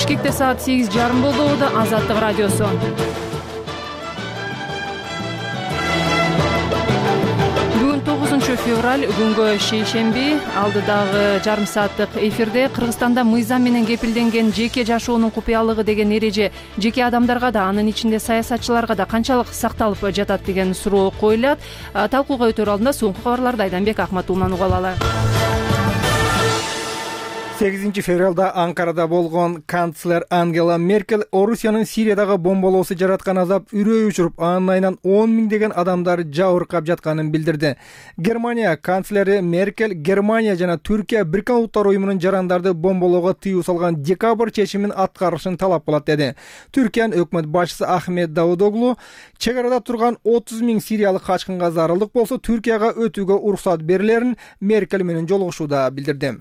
Бишкекте саат 8:30 болду. Азаттык радиосу. Бүгүн 9-февраль, күнгө шейшемби. Алдыдагы жарым сааттык эфирде Кыргызстанда мыйзам менен кепилденген жеке жашоонун купуялыгы деген эреже жеке адамдарга да, анын ичинде саясатчыларга да канчалык сакталып жатат деген суроо коюлат. Талкууга өтөр алдында соңку кабарларды Айданбек Акматулладан угуп алалы. 8-февралда Анкарада болгон канцлер Ангела Меркель Орусиянын Сириядагы бомбалоосу жараткан азап үрөй учуруп, анын айынан 10 миңдеген адамдар жабыркап жатканын билдирди. Германия канцлери Меркель Германия жана Түркия Бириккен Улуттар уюмунун жарандарды бомбалоого тыюу салган декабрь чечимин аткарышын талап кылат деди. Түркиянын өкмөт башчысы Ахмет Давудоглу чек арада турган 30 миң сириялык качкынга зарылдык болсо Түркияга өтүүгө уруксат берилерин Меркель менен жолугушууда билдирди.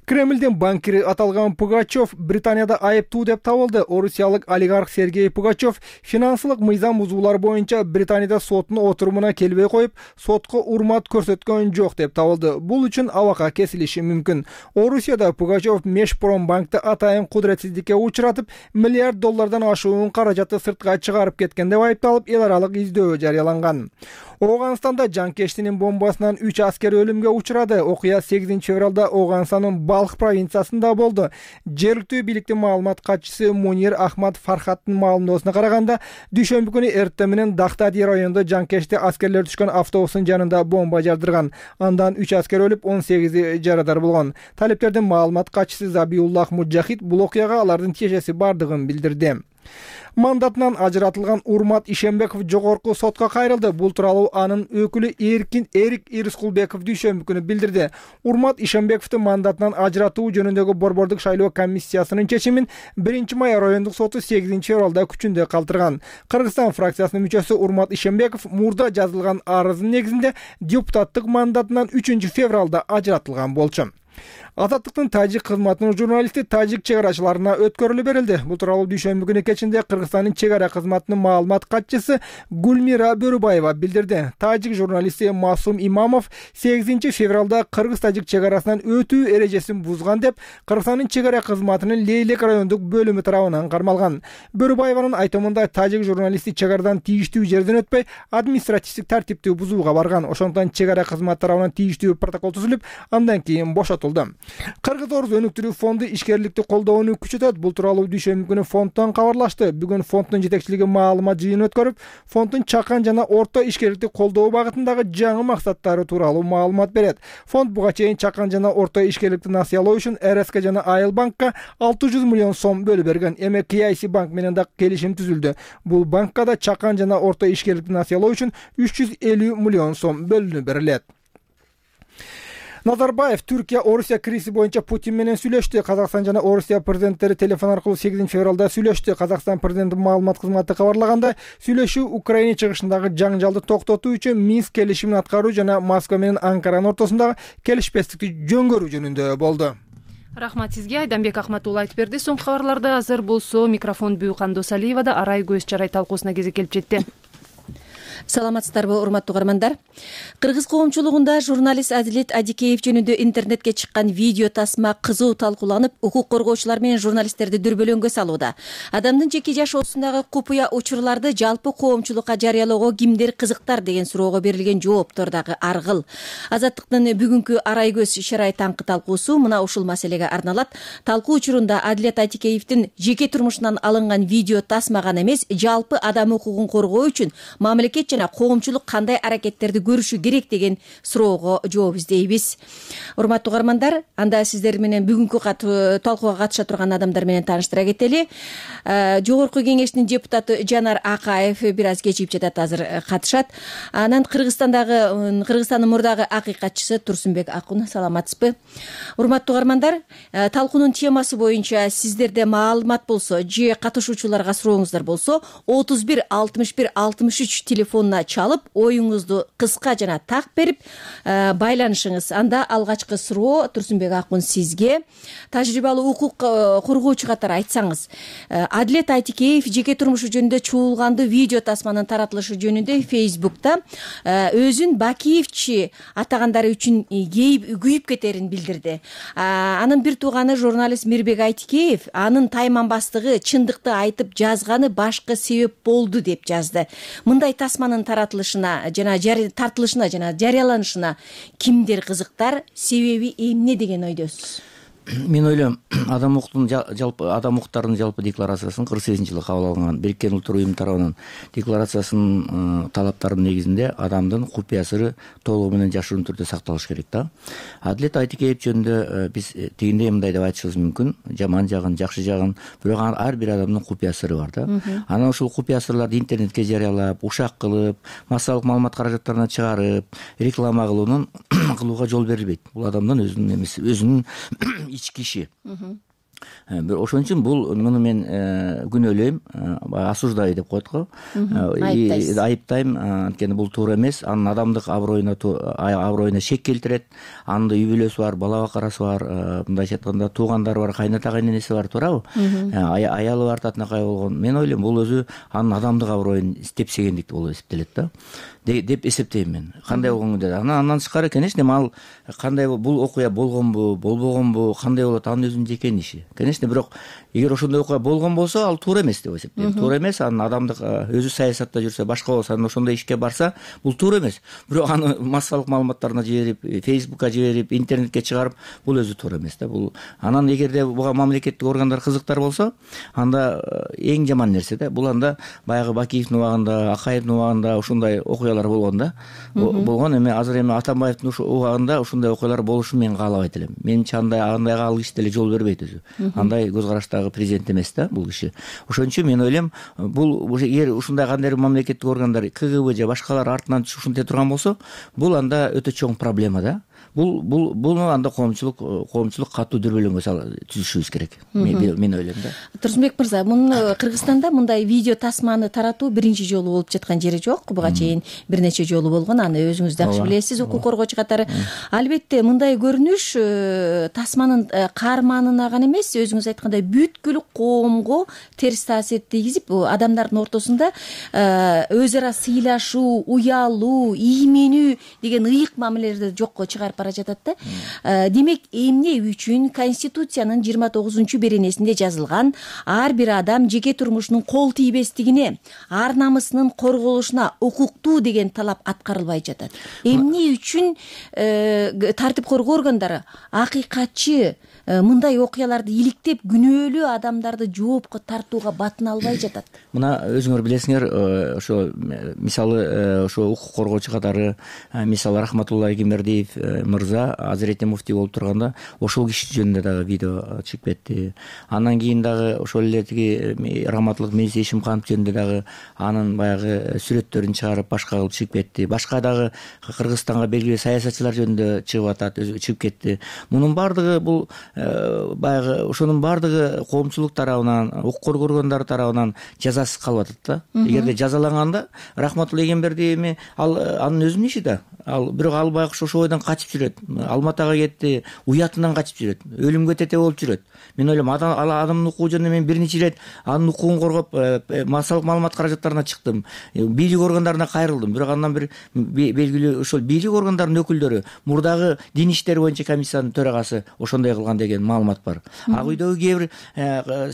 Кремлдин банкири аталган Пугачев Британияда айыптуу деп табылды. Орусиялык олигарх Сергей Пугачев финансылык мыйзам бузуулар боюнча Британияда соттун отурумуна келбей коюп, сотко урмат көрсөткөн жок деп табылды. Бул үчүн абакка кесилиши мүмкүн. Орусияда Пугачев Межпромбанкты атайын кудуретсиздикке учуратып, миллиард доллардан ашуун каражатты сыртка чыгарып кеткен деп айыпталып, эл аралык издөө жарыяланган. Оганстанда жанкештинин бомбасынан 3 аскер өлүмгө учурады. Окуя 8-февралда Оганстандын Балх провинциясында болду. Жергиликтүү бийликтин маалымат катчысы Мунир Ахмад Фархаттын маалымдоосуна караганда, дүйшөмбү күнү эртең менен Дахтади районунда жанкешти аскерлер түшкөн автобустун жанында бомба жардырган. Андан 3 аскер өлүп, 18 жарадар болгон. Талептердин маалымат катчысы Забиуллах Муджахид бул окуяга алардын тиешеси бардыгын билдирди. Мандатынан ажыратылган Урмат Ишембеков жогорку сотко кайрылды. Бул тууралуу анын өкүлү Эрик Ирскулбеков дүйшөмбү күнү билдирди. Урмат Ишембековду мандатынан ажыратуу жөнүндөгү борбордук шайлоо комиссиясынын чечимин 1-май райондук соту 8-февралда күчүндө калтырган. Кыргызстан фракциясынын мүчөсү Урмат Ишембеков мурда жазылган арыздын негизинде депутаттык мандатынан 3-февралда ажыратылган болчу. Азаттыктын тажик кызматынын журналисти тажик чек арачыларына өткөрүлүп берилди. Бул тууралуу дүйшөмбү күнү кечинде Кыргызстандын чек ара кызматынын маалымат катчысы Гульмира Бөрүбаева билдирди. Тажик журналисти Масум Имамов 8-февралда Кыргыз-тажик чек арасынан өтүү эрежесин бузган деп Кыргызстандын чек ара кызматынын Лейлек райондук бөлүмү тарабынан кармалган. Бөрүбаеванын айтымында тажик журналисти чек арадан тийиштүү жерден өтпөй, административдик тартипти бузууга барган. Ошондон чек ара кызматы тарабынан тийиштүү протокол түзүлүп, андан кийин бошотулду. Кыргыз-Орус өнүктүрүү фонду ишкерликти колдоону күчөтөт. Бул тууралуу дүйшөмбү күнү фонддон кабарлашты. Бүгүн фонддун жетекчилиги маалымат жыйыны өткөрүп, фонддун чакан жана орто ишкерликти колдоо багытындагы жаңы максаттары тууралуу маалымат берет. Фонд буга чейин чакан жана орто ишкерликти насыялоо үчүн РСК жана Айыл банкка 600 миллион сом бөлүп берген. Эми KIC банк менен да келишим түзүлдү. Бул банкка да чакан жана орто ишкерликти насыялоо үчүн 350 миллион сом бөлүнүп берилет. Назарбаев Түркия Орусия кризиси боюнча Путин менен сүйлөштү. Казакстан жана Орусия президенттери телефон аркылуу 8-февралда сүйлөштү. Казакстан президентинин маалымат кызматы кабарлагандай, сүйлөшүү Украина чыгышындагы жаңжалды токтотуу үчүн Минск келишимин аткаруу жана Москва менен Анкаранын ортосундагы келишпестикти жөнгөрүү жөнүндө болду. Рахмат сизге, Айданбек Акматулла айтып берди. Соңку кабарларды азыр болсо микрофон Бүйкан Досалиевада Арай көз чарай талкуусуна кезек келип жетти. Саламатсыздарбы, урматтуу угармандар. Кыргыз коомчулугунда журналист Адилет Адикеев жөнүндө интернетке чыккан видео тасма кызуу талкууланып, укук коргоочулар менен журналисттерди дүрбөлөңгө салууда. Адамдын жеке жашоосундагы купуя учурларды жалпы коомчулукка жарыялоого кимдер кызыктар деген суроого берилген жооптор дагы аргыл. Азаттыктын бүгүнкү Арай көз чарай таңкы талкуусу мына ушул маселеге арналат. Талкуу учурунда Адилет Адикеевдин жеке турмушунан алынган видео тасма гана эмес, жалпы адам укугун коргоо үчүн мамлекет жана коомчулук кандай аракеттерди көрүшү керек деген суроого жооп издейбиз. Урматтуу угармандар, анда сиздер менен бүгүнкү талкууга катыша турган адамдар менен тааныштыра кетели. Жогорку кеңештин депутаты Жанар Акаев бир аз кечигип жатат, азыр катышат. Анан Кыргызстандын мурдагы акыйкатчысы Турсунбек Акун, саламатсызбы? Урматтуу угармандар, талкуунун темасы боюнча сиздерде маалымат болсо же катышуучуларга сурооңуздар болсо 31 61 63 телефон телефонуна чалып оюңузду кыска жана так берип байланышыңыз. Анда алгачкы суроо Турсунбек Акун сизге. Тажрыйбалуу укук коргоочу катары айтсаңыз, Адилет Айтикеев жеке турмушу жөнүндө чуулганды видео тасманын таратылышы жөнүндө Facebook'та өзүн Бакиевчи атагандары үчүн күйүп кетерин билдирди. Анын бир тууганы журналист Мирбек Айтикеев анын тайманбастыгы чындыкты айтып жазганы башкы себеп болду деп жазды. Мындай тасманын таратылышына жана жарыяланышына кимдер кызыктар, себеби эмне деген ойдосуз? Мен ойлойм, адам укуктарынын жалпы декларациясын 48-жылы кабыл алынган Бириккен Улуттар Уюму тарабынан декларациясынын талаптарынын негизинде адамдын купуя сыры толугу менен жашыруун түрдө сакталыш керек да. Адилет Айтикеев жөнүндө биз тигиндей мындай деп айтышыбыз мүмкүн, жаман жагын, жакшы жагын, бирок ар бир адамдын купуя сыры бар да. Анан ушул купуя сырларды интернетке жарыялап, ушак кылып, массалык маалымат каражаттарына чыгарып, реклама кылууга жол берилбейт. Бул адамдын өзүнүн эмеси, өзүнүн ички иши. Ошон үчүн муну мен күнөөлөйм, осуждаю деп коет го. Айыптайм, анткени бул туура эмес. Анын адамдык аброюна шек келтирет. Анын үй бүлөсү бар, бала бакарасы бар, мындайча айтканда туугандары бар, кайната кайненеси бар, туурабы? Аялы бар, татынакай болгон. Мен ойлойм, бул өзү анын адамдык аброюн тепсегендик болуп эсептелет да. Деп эсептейм мен. Кандай болгон деп. Андан тышкары, конечно, ал кандай бул окуя болгонбу, болбогонбу, кандай болот, анын өзүнүн жеке иши. Конечно, бирок эгер ошондой окуя болгон болсо, ал туура эмес деп эсептейм. Туура эмес, анын адамдык өзү саясатта жүрсө, башка болсо, анан ошондой ишке барса, бул туура эмес. Бирок аны массалык маалыматтарына жиберип, Facebook'ка жиберип, интернетке чыгарып, бул өзү туура эмес да. Бул анан эгерде буга мамлекеттик органдар кызыктар болсо, анда эң жаман нерсе да. Бул анда баягы Бакиевдин убагында, Акаевдин убагында ушундай окуялар болгон да. Болгон эми азыр Атамбаевдин убагында ушундай окуялар болушун мен каалабайт элем. Менимче андайга ал киши деле жол бербейт өзү. Андай көз караштагы президент эмес да бул киши. Ошон үчүн мен ойлойм, бул эгер ушундай кандайдыр мамлекеттик органдар, КГБ же башкалар артынан ушинте турган болсо, бул анда өтө чоң проблема да. Буну анда коомчулук катуу дүрбөлөңгө түзүшүбүз керек. Мен ойлойм да. Турсунбек мырза, Кыргызстанда мындай видео тасманы таратуу биринчи жолу болуп жаткан жери жок. Буга чейин бир нече жолу болгон. Аны өзүңүз жакшы билесиз, укук коргоочу катары. Албетте, мындай көрүнүш тасманын каарманына гана эмес, өзүңүз айткандай бүткүл коомго терс таасир тийгизип, адамдардын ортосунда өз ара сыйлашуу, уялуу, ийменүү деген ыйык мамилелерди жокко чыгарып бара жатат да. Демек, эмне үчүн Конституциянын 29-беренесинде жазылган ар бир адам жеке турмушунун кол тийбестигине, ар намысынын корголушуна укуктуу деген талап аткарылбай жатат? Эмне үчүн тартип коргоо органдары акыйкатчы мындай окуяларды иликтеп күнөөлүү адамдарды жоопко тартууга батына албай жатат? Мына өзүңөр билесиңер, ошо мисалы ошо укук коргоочу катары, мисалы Рахматулла Эгембердиев мырза Азирети муфтий болуп турганда ошол киши жөнүндө дагы видео чыгып кетти. Андан кийин дагы ошол эле тиги Раматылык Мейси Ишимканов жөнүндө дагы анын баягы сүрөттөрүн чыгарып башка кылып чыгып кетти. Башка дагы Кыргызстанга белгилүү саясатчылар жөнүндө чыгып атат, чыгып кетти. Мунун баардыгы бул баягы ошонун баардыгы коомчулук тарабынан, укук коргоо органдары тарабынан жазасыз калып атат да. Эгерде жазаланганда Рахматулла Эгембердиев анын өзүнүн иши да. Бирок ал байкуш ошол бойдон качып жүрөт. Алматага кетти, уятынан качып жүрөт. Өлүмгө тете болуп жүрөт. Мен ойлойм, адамдын укугу жөнүндө мен бир нече ирет анын укугун коргоп, массалык маалымат каражаттарына чыктым. Бийлик органдарына кайрылдым. Бирок андан бир белгилүү ошол бийлик органдарынын өкүлдөрү, мурдагы дин иштери боюнча комиссиянын төрагасы ошондой кылган деген маалымат бар. Ак үйдөгү кээ бир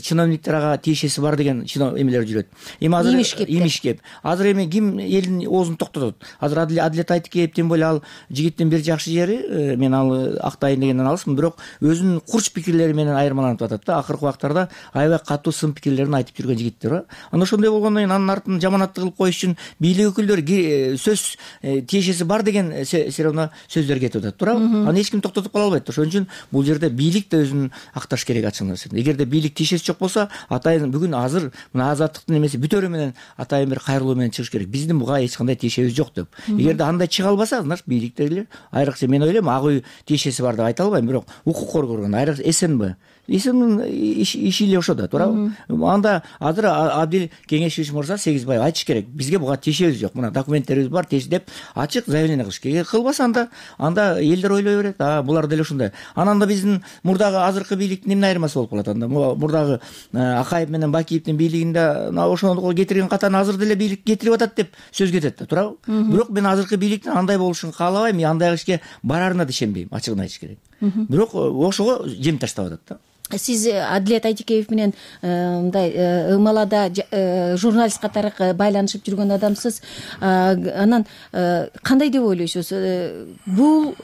чиновниктер ага тиешеси бар деген эмелер жүрөт. Эми азыр имиш кеп. Азыр эми ким элдин оозун токтотот? Азыр Адилет Айтикеев тем более ал жигиттин бир жакшы жери, мен ал актайын дегенден алысмын, бирок өзүнүн курч пикирлери менен айырмаланып атат да. Акыркы убактарда аябай катуу сын пикирлерин айтып жүргөн жигиттер. Анан ошондой болгондон кийин анын артын жаманатты кылып коюш үчүн бийлик өкүлдөрү сөз тиешеси бар деген все равно сөздөр кетип атат, туурабы? Аны эч ким токтотуп кала албайт. Ошон үчүн бул жерде бийлик да өзүн акташ керек ачык. Эгерде бийлик тиешеси жок болсо, атайын бүгүн азыр мына азаттыктын эмеси бүтөрү менен атайын бир кайрылуу менен чыгыш керек. Биздин буга эч кандай тиешебиз жок деп. Эгерде андай чыга албаса, кылбаса значит бийликтегилер айрыкча мен ойлойм ак үй тиешеси бар деп айта албайм, бирок укук коргогон айрыкча СНБ иши эле ошол да, туурабы? Анда азыр Абдил Кеңешевич мырза Сегизбаев айтыш керек, бизге буга тиешебиз жок, мына документтерибиз бар деп ачык заявление кылыш керек. Кылбаса анда элдер ойлой берет, булар деле ушундай. Анан да биздин мурдагы азыркы бийликтин эмне айырмасы болуп калат анда? Мурдагы Акаев менен Бакиевдин бийлигинде ошону кетирген катаны азыр деле бийлик кетирип атат деп сөз кетет да, туурабы? Бирок мен азыркы бийликтин андай болушун каалабайм, андай ишке барарына да ишенбейм, ачыгын айтыш керек. Бирок ошого жем таштап атат да. Сиз Адилет Айдикеев менен мындай ымалада журналист катары байланышып жүргөн адамсыз. Анан кандай деп ойлойсуз? Бул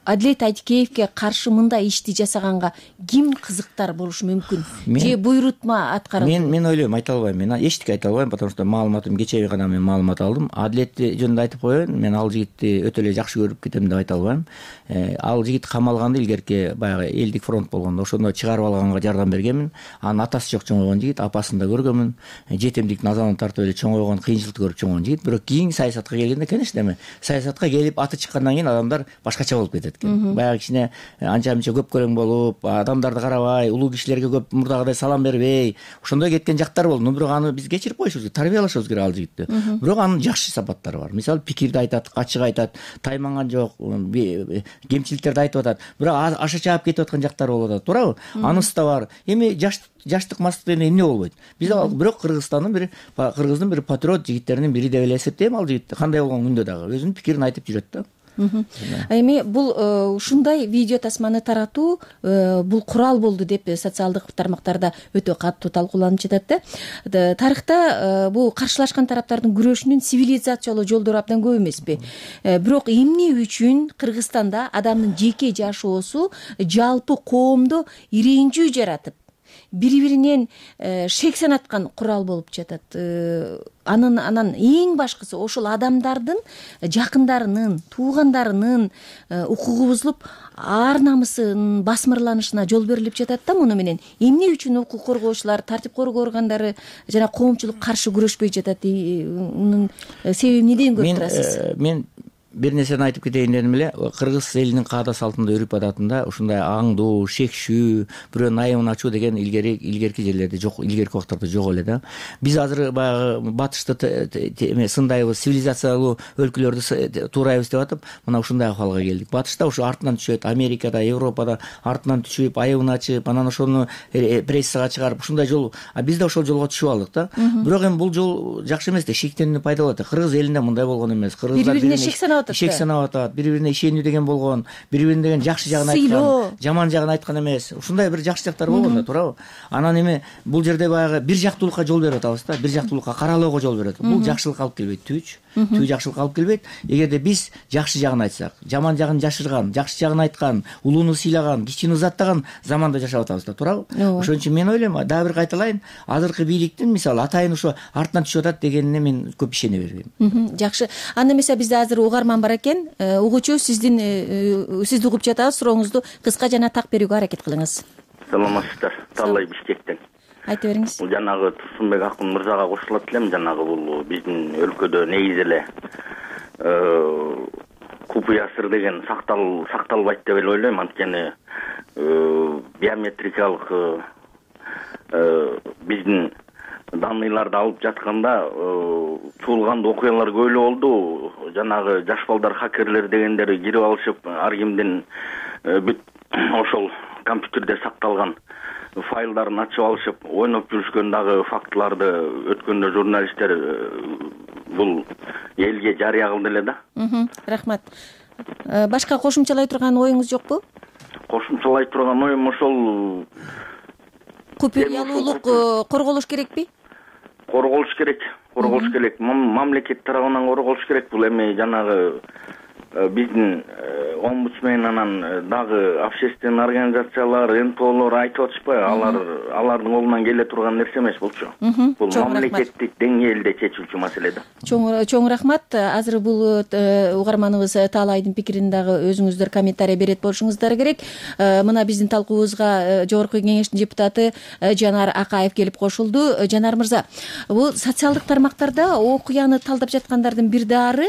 Адилет Айдикеевке каршы мындай ишти жасаганга ким кызыктар болушу мүмкүн? Же буйрутма аткарылды? Мен ойлойм, айта албайм. Мен эчтеке айта албайм, потому что маалыматым кечээ гана мен маалымат алдым. Адилет жөнүндө айтып коеюн, мен ал жигитти өтө эле жакшы көрүп кетем деп айта албайм. Ал жигит камалганда илгерки баягы элдик фронт болгондо ошондо чыгарып алганга жардам бергенмин. Анын атасы жок чоңойгон жигит, апасын да көргөнмүн. Жетемдиктин азабын тартып эле чоңойгон, кыйынчылыкты көрүп чоңойгон жигит. Бирок кийин саясатка келгенде, конечно, эми саясатка келип аты чыккандан кийин адамдар башкача болуп кетет экен. Баягы кичине анча-мынча көпкөлөң болуп, адамдарды карабай, улуу кишилерге көп мурдагыдай салам бербей, ошондой кеткен жактар болду. Бирок аны биз кечирип коюшубуз керек, тарбиялашыбыз керек ал жигитти. Бирок анын жакшы сапаттары бар. Мисалы, пикирди айтат, ачык айтат, тайманган жок, кемчиликтерди айтып атат. Бирок аша чаап кетип аткан жактары болуп атат, туурабы? Анысы да бар. Эми жаштык мастык деген эмне болбойт. Биз бирок кыргыздын бир патриот жигиттеринин бири деп эле эсептейм ал жигит. Кандай болгон күндө дагы өзүнүн пикирин айтып жүрөт да. Эми бул ушундай видео тасманы таратуу бул курал болду деп социалдык тармактарда өтө катуу талкууланып жатат да. Тарыхта бул каршылашкан тараптардын күрөшүнүн цивилизациялуу жолдору абдан көп эмеспи? Бирок эмне үчүн Кыргызстанда адамдын жеке жашоосу жалпы коомдо ирээндүү жаратып, бири-биринен шек санаткан курал болуп жатат? Анан эң башкысы ошол адамдардын жакындарынын, туугандарынын укугу бузулуп, ар намысынын басмырланышына жол берилип жатат да. Муну менен эмне үчүн укук коргоочулар, тартип коргоо органдары жана коомчулук каршы күрөшпөй жатат? Мунун себебин эмнеден көрүп турасыз? Мен бир нерсени айтып кетейин дедим эле. Кыргыз элинин каада салтында, үрп адатында ушундай аңдуу, шекшүү, бирөөнүн айыбын ачуу деген илгерки жерлерде жок, илгерки убактарда жок эле да. Биз азыр баягы батышты сындайбыз, цивилизациялуу өлкөлөрдү туурайбыз деп атып, мына ушундай акыбалга келдик. Батышта ушу артынан түшөт, Америкада, Европада артынан түшүп, айыбын ачып, анан ошону прессага чыгарып, ушундай жол, биз да ошол жолго түшүп алдык да. Бирок эми бул жол жакшы эмес да, шектенүүнү пайда болот. Кыргыз элинде мындай болгон эмес. Кыргыздар бири-бирине шек санап атат, бири-бирине ишенүү деген болгон, бири-бирин деген жакшы жагын айткан, жаман жагын айткан эмес. Ушундай бир жакшы жактар болгон да, туурабы? Анан эми бул жерде баягы бир жактуулукка жол берип атабыз да, бир жактуулукка каралоого жол берет. Бул жакшылыкка алып келбейт, түбү жакшылыкка алып келбейт. Эгерде биз жакшы жагын айтсак, жаман жагын жашырган, жакшы жагын айткан, улууну сыйлаган, кичини узаттаган заманда жашап атабыз да, туурабы? Ошон үчүн мен ойлойм, дагы бир кайталайын, азыркы бийликтин мисалы атайын ошо артынан түшүп атат дегенине мен көп ишене бербейм. Жакшы. Анда эмесе бизде азыр угарман бар экен. Угуучу, сизди угуп жатабыз. Сурооңузду кыска жана так берүүгө аракет кылыңыз. Саламатсыздар. Таллай Бишкектен. Айта бериңиз. Бул жанагы Турсунбек акын мырзага кошулат элем. Жанагы бул биздин өлкөдө негизи эле купуя сыр деген сакталбайт деп эле ойлойм. Анткени биометрикалык биздин данныйларды алып жатканда чуулганда окуялар көп эле болду. Жанагы жаш балдар, хакерлер дегендери кирип алышып, ар кимдин бүт ошол компьютерде сакталган файлдарын ачып алышып, ойноп жүрүшкөн дагы фактыларды өткөндө журналисттер бул элге жарыя кылды эле да. Рахмат. Башка кошумчалай турган оюңуз жокпу? Кошумчалай турган оюм ошол купуялуулук корголуш керекпи? Корголуш керек. Мамлекет тарабынан корголуш керек. Бул эми жанагы биздин омбудсмен анан дагы общественный организациялар, НПОлор айтып атышпайбы? Алардын колунан келе турган нерсе эмес булчу. Бул мамлекеттик деңгээлде чечилчү маселе да. Чоң рахмат. Азыр бул угарманыбыз Таалайдын пикирин дагы өзүңүздөр комментарий берет болушуңуздар керек. Мына биздин талкуубузга Жогорку Кеңештин депутаты Жанар Акаев келип кошулду. Жанар мырза, бул социалдык тармактарда окуяны талдап жаткандардын бир дары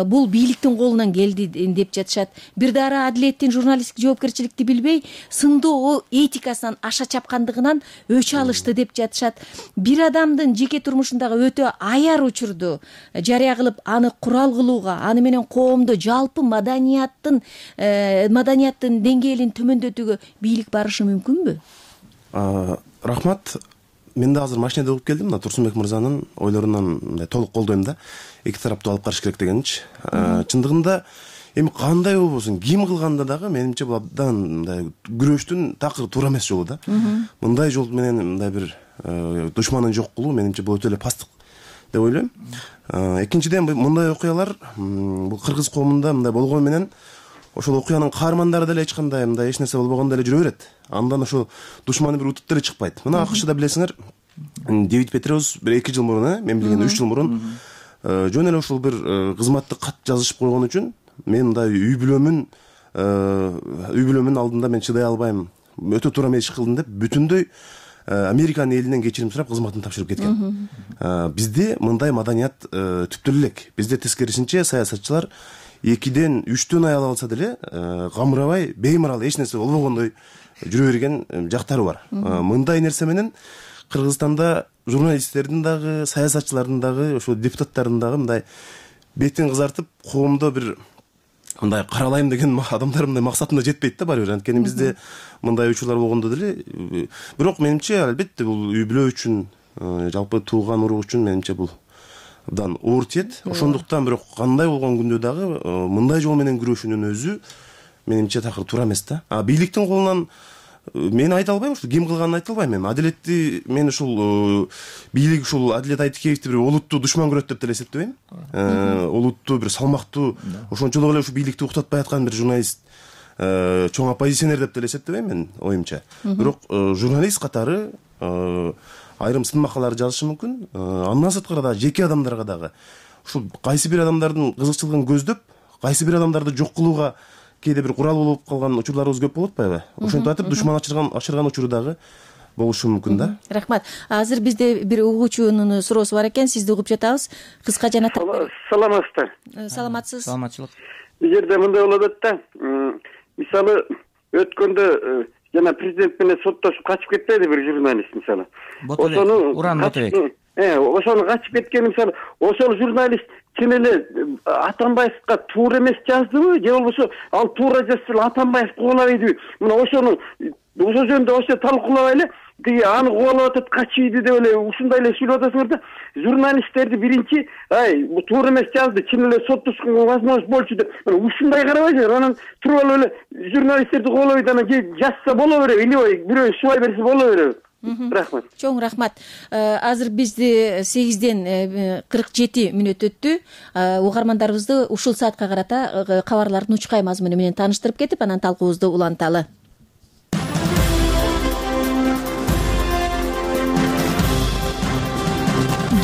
бул бийликтин колунан келди деп жатышат. Бир дары адилеттин журналисттик жоопкерчиликти билбей, сындоо этикасынан аша чапкандыгынан өч алышты деп жатышат. Бир адамдын жеке турмушундагы өтө аяр учурду жарыя кылып, аны курал кылууга, аны менен коомдо жалпы маданияттын деңгээлин төмөндөтүүгө бийлик барышы мүмкүнбү? Рахмат. Мен да азыр машинеде угуп келдим. Мына Турсунбек мырзанын ойлорунан мындай толук колдойм да. Эки тараптуу алып караш керек дегенчи. Чындыгында эми кандай болбосун, ким кылганда дагы менимче бул абдан мындай күрөштүн такыр туура эмес жолу да. Мындай жол менен мындай бир душманын жок кылуу менимче бул өтө эле пасттык деп ойлойм. Экинчиден мындай окуялар бул кыргыз коомунда мындай болгону менен ошол окуянын каармандары деле эч кандай мындай эч нерсе болбогондой эле жүрө берет. Андан ошол душманы бир утуп деле чыкпайт. Мына АКШда билесиңер, Дэвид Петреус бир 2 жыл мурун, мен билгенден 3 жыл мурун жөн эле ошол бир кызматтык кат жазышып койгон үчүн мен мындай үй бүлөмүн алдында мен чыдай албайм, өтө туура эмес иш кылдым деп бүтүндөй Американын элинен кечирим сурап кызматын тапшырып кеткен. Бизде мындай маданият түптүү элек. Бизде тескерисинче саясатчылар 2ден 3төн аял алса деле камырабай, беймарал эч нерсе болбогондой жүрө берген жактары бар. Мындай нерсе менен Кыргызстанда журналисттердин дагы, саясатчылардын дагы, ошо депутаттардын дагы мындай бетин кызартып, коомдо бир мындай каралайм деген адамдар мындай максатына жетпейт да баары бир. Анткени бизде мындай учурлар болгондо деле, бирок менимче албетте бул үй бүлө үчүн, жалпы тууган урук үчүн менимче бул абдан оор тиет. Ошондуктан бирок кандай болгон күндө дагы мындай жол менен күрөшүүнүн өзү менимче такыр туура эмес да. Бийликтин колунан мен айта албайм, ушул ким кылганын айта албайм. Мен адилетти, мен ушул бийлик ушул Адилет Айтикеевди бир олуттуу душман көрөт деп деле эсептебейм. Олуттуу бир салмактуу, ошончолук эле ушу бийликти уктатпай аткан бир журналист, чоң оппозиционер деп деле эсептебейм мен оюмча. Бирок журналист катары айрым сын макалалар жазышы мүмкүн. Андан сырткары дагы жеке адамдарга дагы ушул кайсы бир адамдардын кызыкчылыгын көздөп, кайсы бир адамдарды жок кылууга кээде бир курал болуп калган учурларыбыз көп болуп атпайбы? Ошентип атып душман ачырган учуру дагы болушу мүмкүн да. Рахмат. Азыр бизде бир угуучунун суроосу бар экен, сизди угуп жатабыз. Кыска жана Саламатсыздар. Саламатсыз. Саламатчылык. Бул жерде мындай болуп атат да. Мисалы, өткөндө жана президент менен соттошуп качып кетпеди бир журналист мисалы. Ошону Уран Ботобек. Ошону качып кеткен мисалы, ошол журналист чын эле Атамбаевга туура эмес жаздыбы, же болбосо ал туура жазса Атамбаев кубалабайдыбы? Мына ошол жөнүндө ошо талкуулабай эле аны кубалап атат, качыйды деп эле ушундай эле сүйлөп атасыңар да. Журналисттерди биринчи, бул туура эмес жазды, чын эле соттошконго возможность болчу деп ушундай карабайсыңар. Анан туруп алып эле журналисттерди кубалабайт, анан же жазса боло береби, или бирөө субай берсе боло береби? Рахмат. Чоң рахмат. Азыр бизде 8ден 47 мүнөт өттү. Угармандарыбызды ушул саатка карата кабарлардын учкай мазмуну менен тааныштырып кетип, анан талкуубузду уланталы.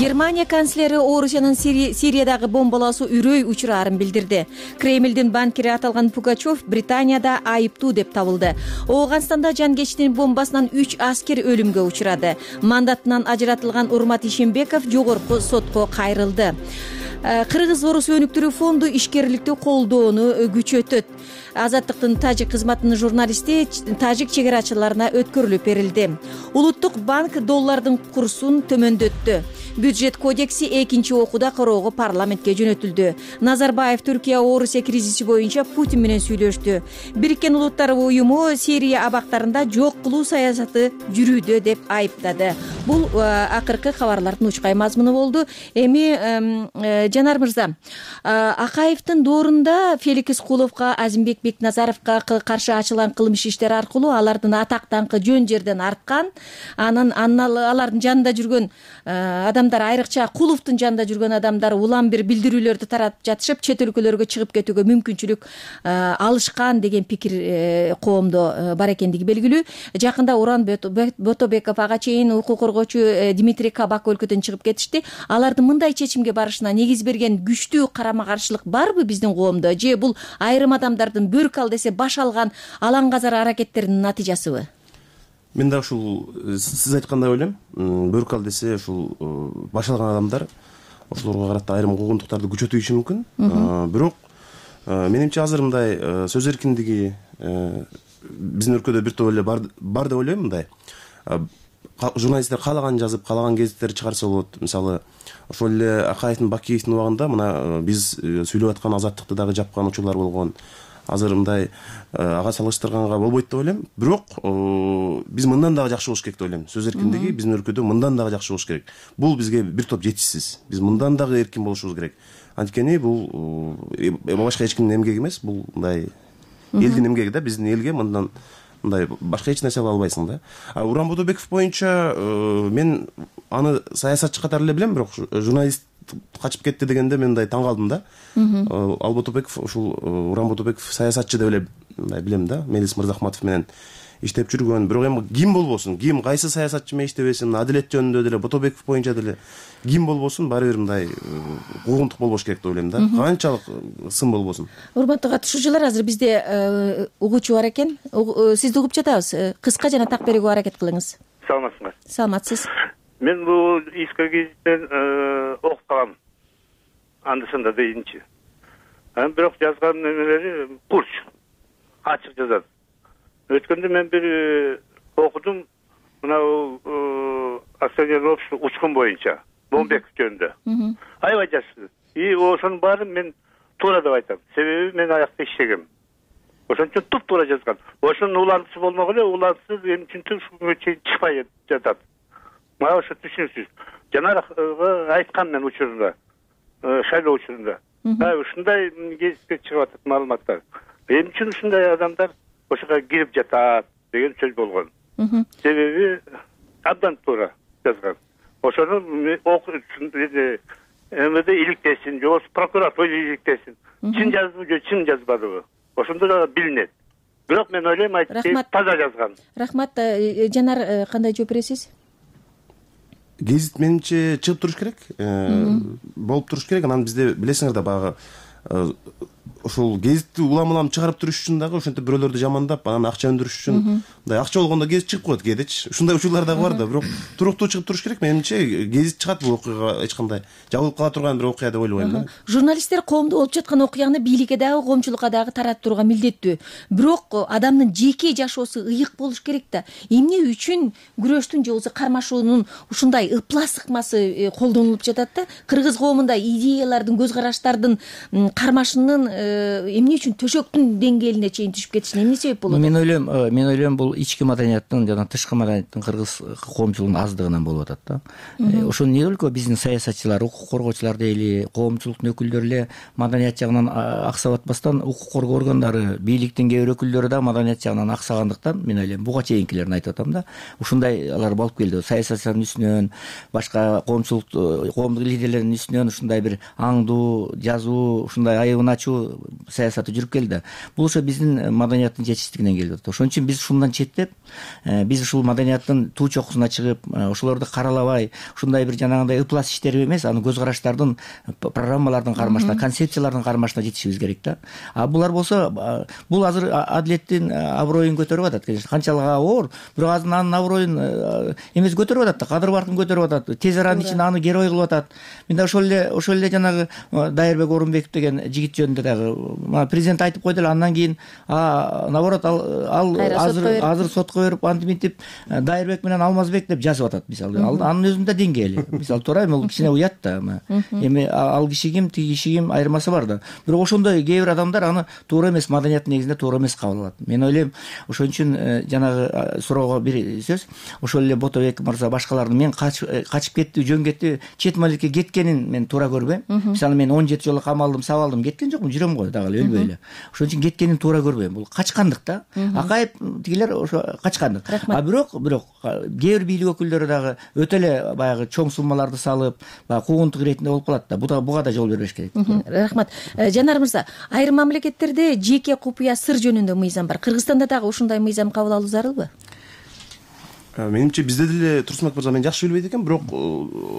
Германия канцлери Орусиянын Сириядагы бомбалоосу үрөй учурарын билдирди. Кремлдин банкири аталган Пугачев Британияда айыптуу деп табылды. Ооганстанда жанкечтин бомбасынан 3 аскер өлүмгө учурады. Мандатынан ажыратылган Урмат Ишембеков жогорку сотко кайрылды. Кыргыз-Орус өнүктүрүү фонду ишкерликти колдоону күчөтөт. Азаттыктын тажик кызматынын журналисти тажик чегерачыларына өткөрүлүп берилди. Улуттук банк доллардын курсун төмөндөттү. Бюджет кодекси экинчи окууда кароого парламентке жөнөтүлдү. Назарбаев Түркия-Орусия кризиси боюнча Путин менен сүйлөштү. Бириккен Улуттар уюму Сирия абактарында жок кылуу саясаты жүрүүдө деп айыптады. бул акыркы кабарлардын учкай мазмуну болду. Эми Жанар мырза, Акаевдин доорунда Феликс Куловго, Азимбек Бекназаровго каршы ачылган кылмыш иштери аркылуу алардын атак даңкы жөн жерден арткан, анан алардын жанында жүргөн адамдар, айрыкча Куловдун жанында жүргөн адамдар улам бир билдирүүлөрдү таратып жатышып, чет өлкөлөргө чыгып кетүүгө мүмкүнчүлүк алышкан деген пикир коомдо бар экендиги белгилүү. Жакында Уран Ботобеков ага чейин укук коргоочу Дмитрий Кабак өлкөдөн чыгып кетишти. Алардын мындай чечимге барышына негиз берген күчтүү карама каршылык барбы биздин коомдо, же бул айрым адамдардын бөрк ал десе баш алган алаңгазар аракеттеринин натыйжасыбы? Мен дагы ушул сиз айткандай ойлойм. Бөрк ал десе ушул баш алган адамдар ошолорго карата айрым куугунтуктарды күчөтүшү мүмкүн. Бирок менимче азыр мындай сөз эркиндиги биздин өлкөдө бир топ эле бар деп ойлойм. Мындай журналисттер каалаган жазып, каалаган гезиттерди чыгарса болот. Мисалы, ошол эле Акаевдин, Бакиевдин убагында мына биз сүйлөп аткан Азаттыкты дагы жапкан учурлар болгон. Азыр мындай ага салыштырганга болбойт деп ойлойм. Бирок биз мындан дагы жакшы болуш керек деп ойлойм. Сөз эркиндиги биздин өлкөдө мындан дагы жакшы болуш керек. Бул бизге бир топ жетишсиз. Биз мындан дагы эркин болушубуз керек. Анткени бул башка эч кимдин эмгеги эмес, бул мындай элдин эмгеги да, биздин элге мындан мындай башка эч нерсе кыла албайсың да. Уран Ботобеков боюнча мен аны саясатчы катары эле билем, бирок журналист качып кетти дегенде мен мындай таң калдым да. Ал Ботобеков, ушул Уран Ботобеков саясатчы деп эле билем да. Мелис Мырзахматов менен иштеп жүргөн. Бирок эми ким болбосун, ким кайсы саясатчы менен иштебесин, адилет жөнүндө деле, Ботобеков боюнча деле ким болбосун, баары бир мындай куугунтук болбош керек деп ойлойм да. Канчалык сын болбосун. Урматтуу катышуучулар, азыр бизде угуучу бар экен. Сизди угуп жатабыз. Кыска жана так берүүгө аракет кылыңыз. Саламатсыңар? Саламатсыз. Мен бул Иска гезиттен окуп калам. Андысында дейинчи. Бирок жазган немелери курч, ачык жазат. Өткөндө мен бир окудум, мына акционерлик общество учкун боюнча, Бомбеков жөнүндө. Аябай жакшы. Ошонун баарын мен туура деп айтам. Себеби мен аякта иштегем. Ошон үчүн туп-туура жазган. Ошонун улантысы болмок эле, улантысы эми үчүн ушуга чейин чыкпай жатат. Мага ошо түшүнүксүз. Жанарга айткам мен учурунда, шайлоо учурунда. Ушундай гезитке чыгып атат маалыматтар. Эми үчүн ушундай адамдар ошого кирип жатат деген сөз болгон. Себеби абдан туура жазган. Ошону МВД иликтесин, же прокуратура иликтесин. Чын жаздыбы же чын жазбадыбы? Ошондо да билинет. Бирок мен ойлойм, таза жазган. Рахмат. Жанар, кандай жооп бересиз? Гезит менимче чыгып туруш керек, болуп туруш керек. Анан бизде билесиңер да баягы ошол гезитти улам чыгарып туруш үчүн дагы ошентип бирөөлөрдү жамандап, анан акча өндүрүш үчүн мындай акча болгондо гезит чыгып коет кээдечи. Ушундай учурлар дагы бар да, бирок туруктуу чыгып туруш керек. Менимче гезит чыгат, бул окуяга эч кандай жабылып кала турган бир окуя деп ойлобойм да. Журналисттер коомдо болуп жаткан окуяны бийликке дагы, коомчулукка дагы таратып турууга милдеттүү. Бирок адамдын жеке жашоосу ыйык болуш керек да. Эмне үчүн күрөштүн же болбосо кармашуунун ушундай ыплас ыкмасы колдонулуп жатат да? Кыргыз коомунда идеялардын, көз караштардын кармашынын эмне үчүн төшөктүн деңгээлине чейин түшүп кетишине эмне себеп болот? Мен ойлойм бул ички маданияттын жана тышкы маданияттын кыргыз коомчулугунун аздыгынан болуп атат да. Ошол эмне өлкө биздин саясатчылар, укук коргоочулар дейли, коомчулуктун өкүлдөрү эле маданият жагынан аксап атпастан, укук коргоо органдары, бийликтин кээ бир өкүлдөрү да маданият жагынан аксагандыктан мен ойлойм, буга чейинкилерин айтып атам да. Ушундай алар болуп келди. Саясатчылардын үстүнөн, башка коомдук лидерлердин үстүнөн ушундай бир аңдуу, жазуу, ушундай айыбын ачуу саясаты жүрүп келди. Бул ошо биздин маданияттын жетишсиздигинен келип атат. Ошон үчүн биз ушундан четтеп, биз ушул маданияттын туу чокусуна чыгып, ошолорду каралабай, ушундай бир жанагындай ыплас иштер эмес, аны көз караштардын, программалардын кармашына, концепциялардын кармашына жетишибиз керек да. Булар болсо, бул азыр адилеттин аброюн көтөрүп атат. Канчалык оор, бирок азыр анын аброюн эмес көтөрүп атат да, кадыр баркын көтөрүп атат. Тез аранын ичинде аны герой кылып атат. Мен да ошол эле жанагы Дайырбек Орунбеков деген жигит жөнүндө дагы жанагы президент айтып койду эле, андан кийин наоборот ал азыр сотко берип антип мынтип Дайырбек менен Алмазбек деп жазып атат. Мисалы анын өзүндө деңгээли. Мисалы туура эми, ал кичине уят да. Эми ал киши ким, тиги киши ким, айырмасы бар да. Бирок ошондой кээ бир адамдар аны туура эмес, маданият негизинде туура эмес кабыл алат. Мен ойлойм, ошон үчүн жанагы суроого бир сөз, ошол эле Ботобек мырза башкалардын мен качып кетти, жөн кетти, чет мамлекетке кеткенин мен туура көрбөйм. Мисалы мен 17 жолу камалдым, сабалдым, кеткен жокмун, жүрөм го дагы эле, өлбөй эле. Ошон үчүн кеткенин туура көрбөйм. Бул качкандык да. Акаев тигилер ошо качкандык. Бирок кээ бир бийлик өкүлдөрү дагы өтө эле баягы чоң суммаларды салып, баягы куугунтук иретинде болуп калат да. Буга да жол бербеш керек. Рахмат. Жанар мырза, айрым мамлекеттерде жеке купуя сыр жөнүндө мыйзам бар. Кыргызстанда дагы ушундай мыйзам кабыл алуу зарылбы? Менимче бизде деле Турсунбек мырза мен жакшы билбейт экенмин, бирок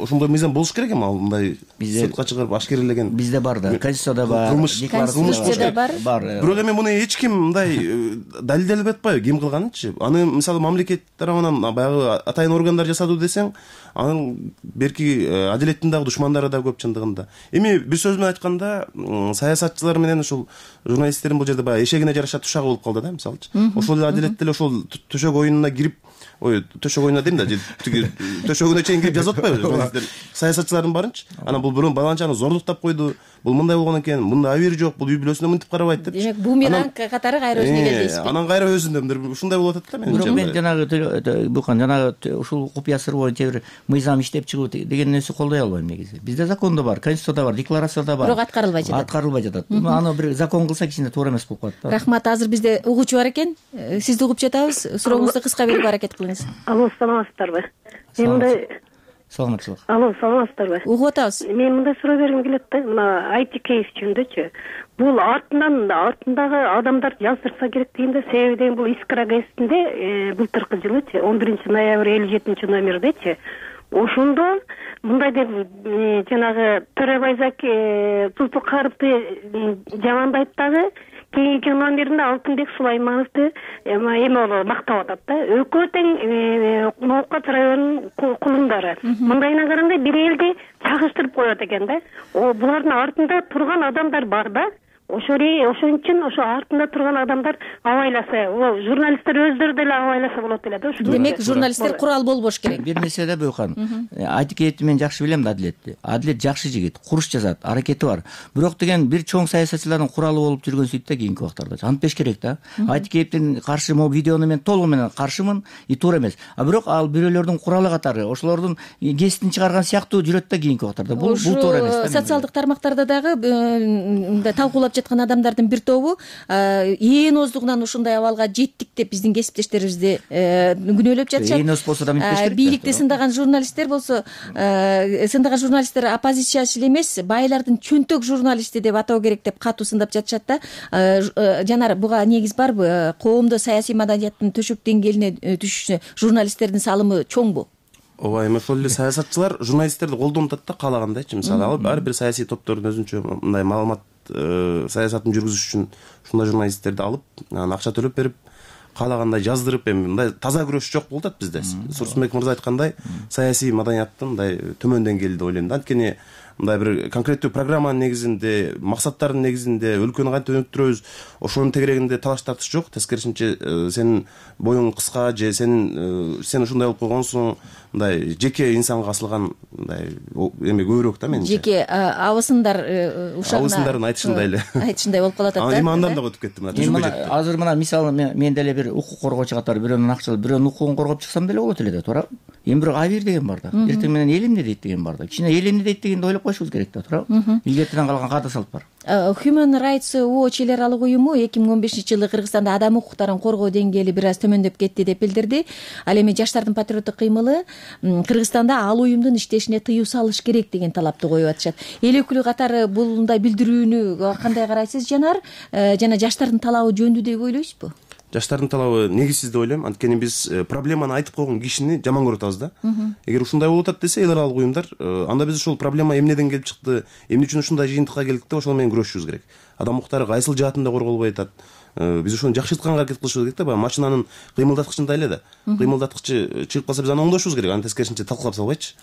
ошондой мыйзам болуш керек эми, ал мындай сотко чыгарып ашкерелеген. Бизде бар да, Конституцияда бар, Конституцияда бар. Бирок эми муну эч ким мындай далилделеп атпайбы, ким кылганынчы? Аны мисалы мамлекет тарабынан баягы атайын органдар жасады десең, анын берки адилеттин дагы душмандары да көп чындыгында. Эми бир сөз менен айтканда, саясатчылар менен ошол журналисттердин бул жерде баягы эшегине жараша тушагы болуп калды да, мисалычы. Ошол эле адилет деле ошол төшөк оюнуна кирип, төшөк оюнуна дейм да, тиги төшөгүнө чейин кирип жазып атпайбы журналисттер, саясатчылардын барынчы. Анан бул бирөө баланчаны зордуктап койду, бул мындай болгон экен, мында абийир жок, бул үй бүлөсүнө мынтип карабайт деп. Демек, бумеранг катары кайра өзүнө келди дейсизби? Анан кайра өзүнө ушундай болуп атат да менимче. Бирок мен жанагы Букан жанагы ушул купуя сыр боюнча бир мыйзам иштеп чыгуу деген нерсе колдой албайм негизи. Бизде закондо бар, Конституцияда бар, декларацияда бар. Бирок аткарылбай жатат. Аткарылбай жатат. Аны бир закон кылса кичине туура эмес болуп калат да. Рахмат. Азыр бизде угуучу бар экен. Сизди угуп жатабыз. Сурооңузду кыска берүүгө аракет кылыңыз. Алло, саламатсыздарбы? Мен мындай саламатчылык. Алло, саламатсыздарбы? Угуп атабыз. Мен мындай суроо бергим келет да, мына IT кейс жөнүндөгүчү. Бул артындагы адамдар жаздырса керек дейм, себеби деген бул Искра газетинде былтыркы жылычы 11-ноябрь 57 номердечи ошондо мындай деп жанагы Төрөбайзаки Зулпукаровду жамандайт дагы, кийинки номеринде Алтынбек Сулаймановду эме мактап атат да. Экөө тең Ноокат районунун кулундары. Мындайына караганда бир элди чагыштырып коет экен да. Булардын артында турган адамдар бар да. Ошон үчүн ошо артында турган адамдар абайласа, журналисттер өздөрү деле абайласа болот эле да. Демек, журналисттер курал болбош керек. Бир нерсе да Бөкан. Айтыкеевди мен жакшы билем да, Адилетти. Адилет жакшы жигит, куруш жазат, аракети бар. Бирок деген бир чоң саясатчылардын куралы болуп жүргөн сөйт да кийинки убактарда. Антпеш керек да. Айтыкеевдин каршы могу видеону мен толугу менен каршымын, и туура эмес. Бирок ал бирөөлөрдүн куралы катары, ошолордун кесиптин чыгарган сыяктуу жүрөт да кийинки убактарда. Бул туура эмес да. Социалдык тармактарда дагы талкуулап жаткан адамдардын бир тобу ээн оздугунан ушундай абалга жеттик деп биздин кесиптештерибизди күнөөлөп жатышат. Ээн оз болсо да мынтпеш керек. Бийликти сындаган журналисттер болсо, сындаган журналисттер оппозициячыл эмес, байлардын чөнтөк журналисти деп атоо керек деп катуу сындап жатышат да. Жанар, буга негиз барбы? Коомдо саясий маданияттын төшөк деңгээлине түшүшүнө журналисттердин салымы чоңбу? Ооба, эми ошол эле саясатчылар журналисттерди колдонуп атат да, каалагандайчы. Мисалы, алып ар бир саясий топтордун өзүнчө мындай маалымат саясатын жүргүзүш үчүн ушундай журналисттерди алып, анан акча төлөп берип, каалагандай жаздырып, эми мындай таза күрөш жок болуп атат бизде. Турсунбек мырза айткандай, саясий маданияттын мындай төмөн деңгээлде ойлойм да. Анткени мындай бир конкреттүү программанын негизинде, максаттардын негизинде өлкөнү кантип өнүктүрөбүз, ошонун тегерегинде талаш тартыш жок. Тескерисинче, сенин боюң кыска же сен ушундай болуп койгонсуң, мындай жеке инсанга асылган мындай эме көбүрөөк да менимче. Жеке абысындар ушагына абысындардын айтышындай болуп калат да. Эми андан да өтүп кеттим. Азыр мына мисалы мен деле бир укук коргоочу катары бирөөнүн акчалап, бирөөнүн укугун коргоп чыксам деле болот эле да, туура. Эми бирок абийир деген бар да. Эртең менен эл эмне дейт деген бар да. Кичине эл эмне дейт дегенди ойлоп коюшубуз керек да, туура. Илгертиден калган каада салт бар. Human Rights Watch эл аралык уюму 2015-жылы Кыргызстанда адам укуктарын коргоо деңгээли бир аз төмөндөп кетти деп билдирди. Ал эми жаштардын патриоттук кыймылы Кыргызстанда ал уюмдун иштешине тыюу салыш керек деген талапты коюп атышат. Эл өкүлү катары булундай билдирүүнү кандай карайсыз, Жанар? Жана жаштардын талабы жөндүү деп ойлойсузбу? Жаштардын талабы негизсиз деп ойлойм. Анткени биз проблеманы айтып койгон кишини жаман көрүп атабыз да. Эгер ушундай болуп атат десе эл аралык уюмдар, анда биз ушул проблема эмнеден келип чыкты, эмне үчүн ушундай жыйынтыкка келдик деп ошол менен күрөшүшүбүз керек. Адам укуктары кайсыл жаатында корголбой атат, биз ошону жакшыртканга аракет кылышыбыз керек да. Баягы машинанын кыймылдаткычындай эле да. Кыймылдаткычы чыгып калса биз аны оңдошубуз керек, аны тескерисинче талкалап салбайчы.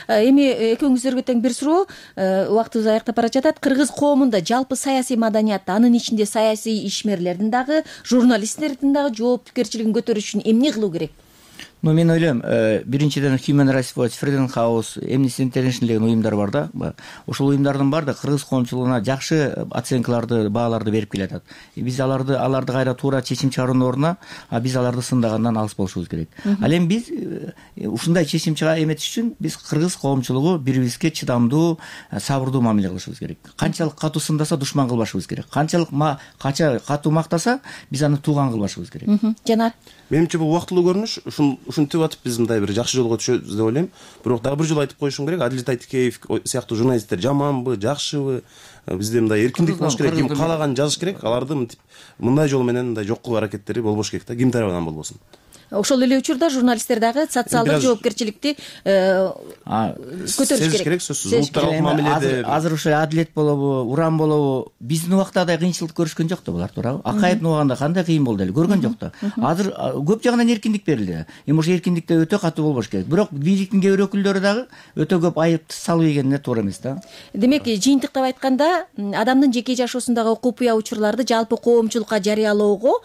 Эми экөөңүздөргө тең бир суроо, убактыбыз аяктап бара жатат. Кыргыз коомунда жалпы саясий маданият, анын ичинде саясий ишмерлердин дагы, журналисттердин дагы жоопкерчилигин көтөрүш үчүн эмне кылуу керек? Мен ойлойм, биринчиден Human Rights Watch, Freedom House, Amnesty International деген уюмдар бар да. Ошол уюмдардын баардыгы кыргыз коомчулугуна жакшы оценкаларды, бааларды берип келатат. Биз аларды кайра туура чечим чыгаруунун ордуна биз аларды сындагандан алыс болушубуз керек. Ал эми биз ушундай чечим эметиш үчүн биз кыргыз коомчулугу бири-бирибизге чыдамдуу, сабырдуу мамиле кылышыбыз керек. Канчалык катуу сындаса душман кылбашыбыз керек. Канчалык катуу мактаса биз аны тууган кылбашыбыз керек. Жанар, Менимче бул убактылуу көрүнүш, ушинтип атып биз мындай бир жакшы жолго түшөбүз деп ойлойм. Бирок дагы бир жолу айтып коюшум керек, Адилет Айтикеев сыяктуу журналисттер жаманбы, жакшыбы, бизде мындай эркиндик болуш керек, ким каалаганын жазыш керек, аларды мындай жол менен мындай жок кылуу аракеттери болбош керек да, ким тарабынан болбосун. Ошол эле учурда журналисттер дагы социалдык жоопкерчиликти көтөрүш керек. Сөзсүз улуттаралык мамиледе азыр ошо Адилет болобу, Уран болобу, биздин убактагыдай кыйынчылык көрүшкөн жок да булар туурабы? Акаевдин убагында кандай кыйын болду эле, көргөн жок да. Азыр көп жагынан эркиндик берилди. Эми ошо эркиндикте өтө катуу болбош керек. Бирок бийликтин кээ бир өкүлдөрү дагы өтө көп айып салып ийгенине туура эмес да. Демек, жыйынтыктап айтканда, адамдын жеке жашоосундагы купуя учурларды жалпы коомчулукка жарыялоого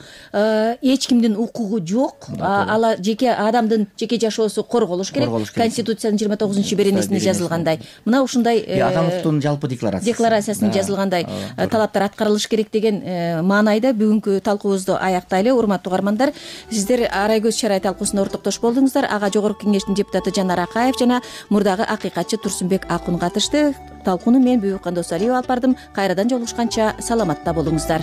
эч кимдин укугу жок. Ала жеке адамдын жеке жашоосу корголуш керек. Конституциянын 29-беренесинде жазылгандай. Мына ушундай Адамдын жалпы декларациясында жазылгандай талаптар аткарылыш керек деген маанайда бүгүнкү талкуубузду аяктайлы. Урматтуу угармандар, сиздер Арай көз чарай талкуусуна ортоктош болдуңуздар. Ага жогорку кеңештин депутаты Жанар Акаев жана мурдагы акыйкатчы Турсунбек Акун катышты. Талкууну мен Бүйүккан Досалиева алып бардым. Кайрадан жолугушканча саламатта болуңуздар.